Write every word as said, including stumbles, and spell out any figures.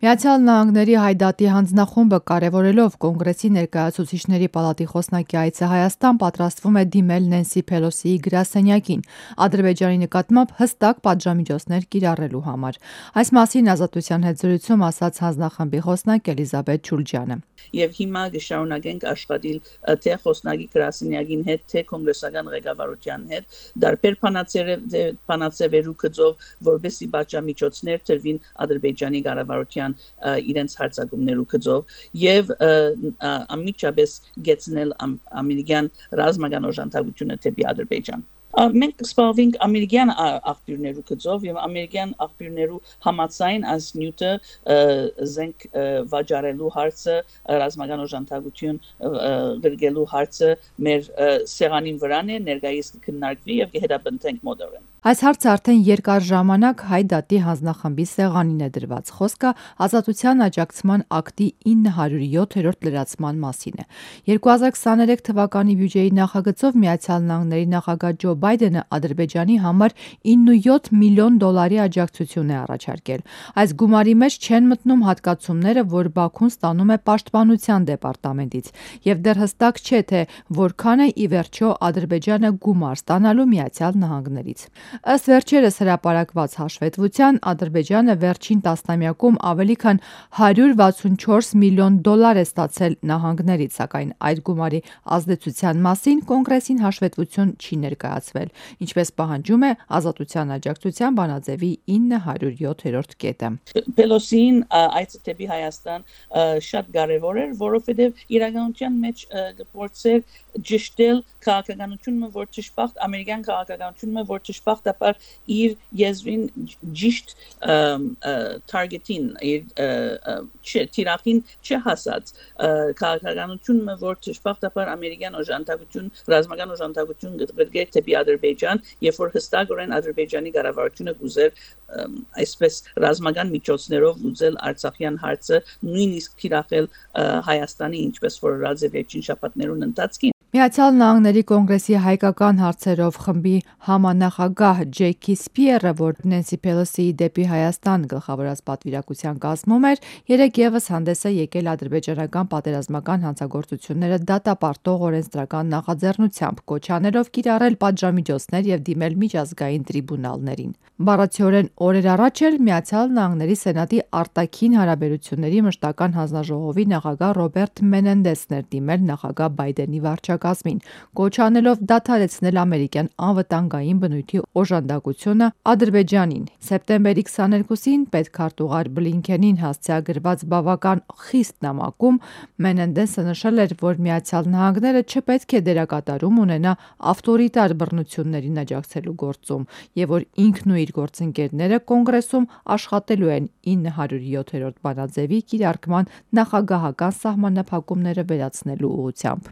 Միացյալ Նահանգների Հայդատի հանձնախումբը կարևորելով Կոնգրեսի ներկայացուցիչների պալատի խոսնակի այցը Հայաստան պատրաստվում է դիմել Նենսի Փելոսիի գրասենյակին Ադրբեջանի նկատմամբ հստակ պատժամիջոցներ կիրառելու համար։ Այս մասին Ազատության հետ զրույցում ասաց հանձնախմբի խոսնակ Էլիզաբեթ Ջուլջյանը։ Եվ հիմա կշարունակենք աշխատել թե խոսնակի գրասենյակին հետ, թե կոնգրեսական ղեկավարության հետ, դարբեր բանաձևերու գծով, որպեսզի պատժամիջոցներ տրվին Ադրբեջանի կառավարության իրենց հարձակումներու գծով եւ անմիջապես գեցնել ամերիկյան ռազմական օժանդակությունը դեպի Ադրբեջան։ Մենք կսպասենք ամերիկյան աղբյուրներու գծով եւ ամերիկյան աղբյուրներու համաձայն այս նյութը զենք վաճառելու հարցը, ռազմական օժանդակություն գրգելու հարցը մեր սեղանին վրան է, ներկայիս կքննարկվի եւ կհետապնդենք մոտորեն։ Այս հարցը արդեն երկար ժամանակ Հայդատի հանձնախմբի սեղանին է դրված։ Խոսքը Ազատության աջակցման ակտի ինը հարյուր յոթերորդ լրացման մասին է։ երկու հազար քսաներեք թվականի բյուջեի նախագծով Միացյալ Նահանգների նախագահ Ջո Բայդենը Ադրբեջանի համար իննսունյոթ միլիոն դոլարի աջակցություն է առաջարկել։ Այս գումարի մեջ չեն մտնում հատկացումները, որ Բաքուն ստանում է Պաշտպանության դեպարտամենտից, եւ դեռ հստակ չէ, թե որքան է ի վերջո Ադրբեջանը գումար ստանալու Միացյալ Նահանգներից։ Ըստ վերջերս հրապարակված հաշվետվության, Ադրբեջանը վերջին տասնամյակում ավելի քան հարյուր վաթսունչորս միլիոն դոլար է ստացել նահանգներից, սակայն այդ գումարի ազդեցության մասին Կոնգրեսին հաշվետվություն չի ներկայացվել, ինչպես պահանջում է Ազատության աջակցության բանաձևի ինը հարյուր յոթերորդ կետը։ Պելոսին այցը դեպի Հայաստան շատ կարևոր էր, որովհետև իրականության մեջ գործեր ճշտել քաղաքականությունը, որ ճշմարտ ամերիկյան քաղաքականությունը, որ ճշմարտաբար իր եզրին ճիշտ target-ին, իր թիրախին չհասած քաղաքականությունը, որ ճշմարտաբար ամերիկյան օժանդակություն, ռազմական օժանդակություն գրգեր դեպի Ադրբեջան, երբ որ հստակորեն Ադրբեջանի կառավարությունը կուզեր այսպես ռազմական միջոցներով լուծել Արցախյան հարցը, նույնիսկ թիրախել Հայաստանի, ինչպես որ ռազե վերջին շաբաթներուն ընթացքին։ Միացյալ Նահանգների Կոնգրեսի հայկական հարցերով խմբի համանախագահ Ջեյքի Սպիերը, որ Նենսի Փելոսիի դեպի Հայաստան գլխավորած պատվիրակության կազմում էր, երեկ եւս հանդես է եկել ադրբեջանական պատերազմական հանցագործությունները դատապարտող օրենսդրական նախաձեռնությամբ, կոչ աներով կիրառել պատժամիջոցներ եւ դիմել միջազգային տրիբունալներին։ Բառացիորեն օրեր առաջ էլ Միացյալ Նահանգների Սենատի արտաքին հարաբերությունների մշտական հանձնաժողովի նախագահ Ռոբերտ Մենենդեսն էր դիմել նախագահ Բայդենի վարչակազմին, կոչ անելով դադարեցնել ամերիկյան անվտանգային բնույթի օժանդակությունը Ադրբեջանին։ Սեպտեմբերի քսաներկուսին պետքարտուղար Բլինքենին հասցեագրված բավական խիստ նամակում Մենենդեսը նշել էր, որ Միացյալ Նահանգները չպետք է դերակատարում ունենա ավտորիտար բռնություններին աջակցելու գործում եւ որ ինքն ու իր գործընկերները Կոնգրեսում աշխատելու են ինը հարյուր յոթերորդ բանաձևի կիրարկման նախագահական սահմանափակումները վերացնելու ուղղությամբ։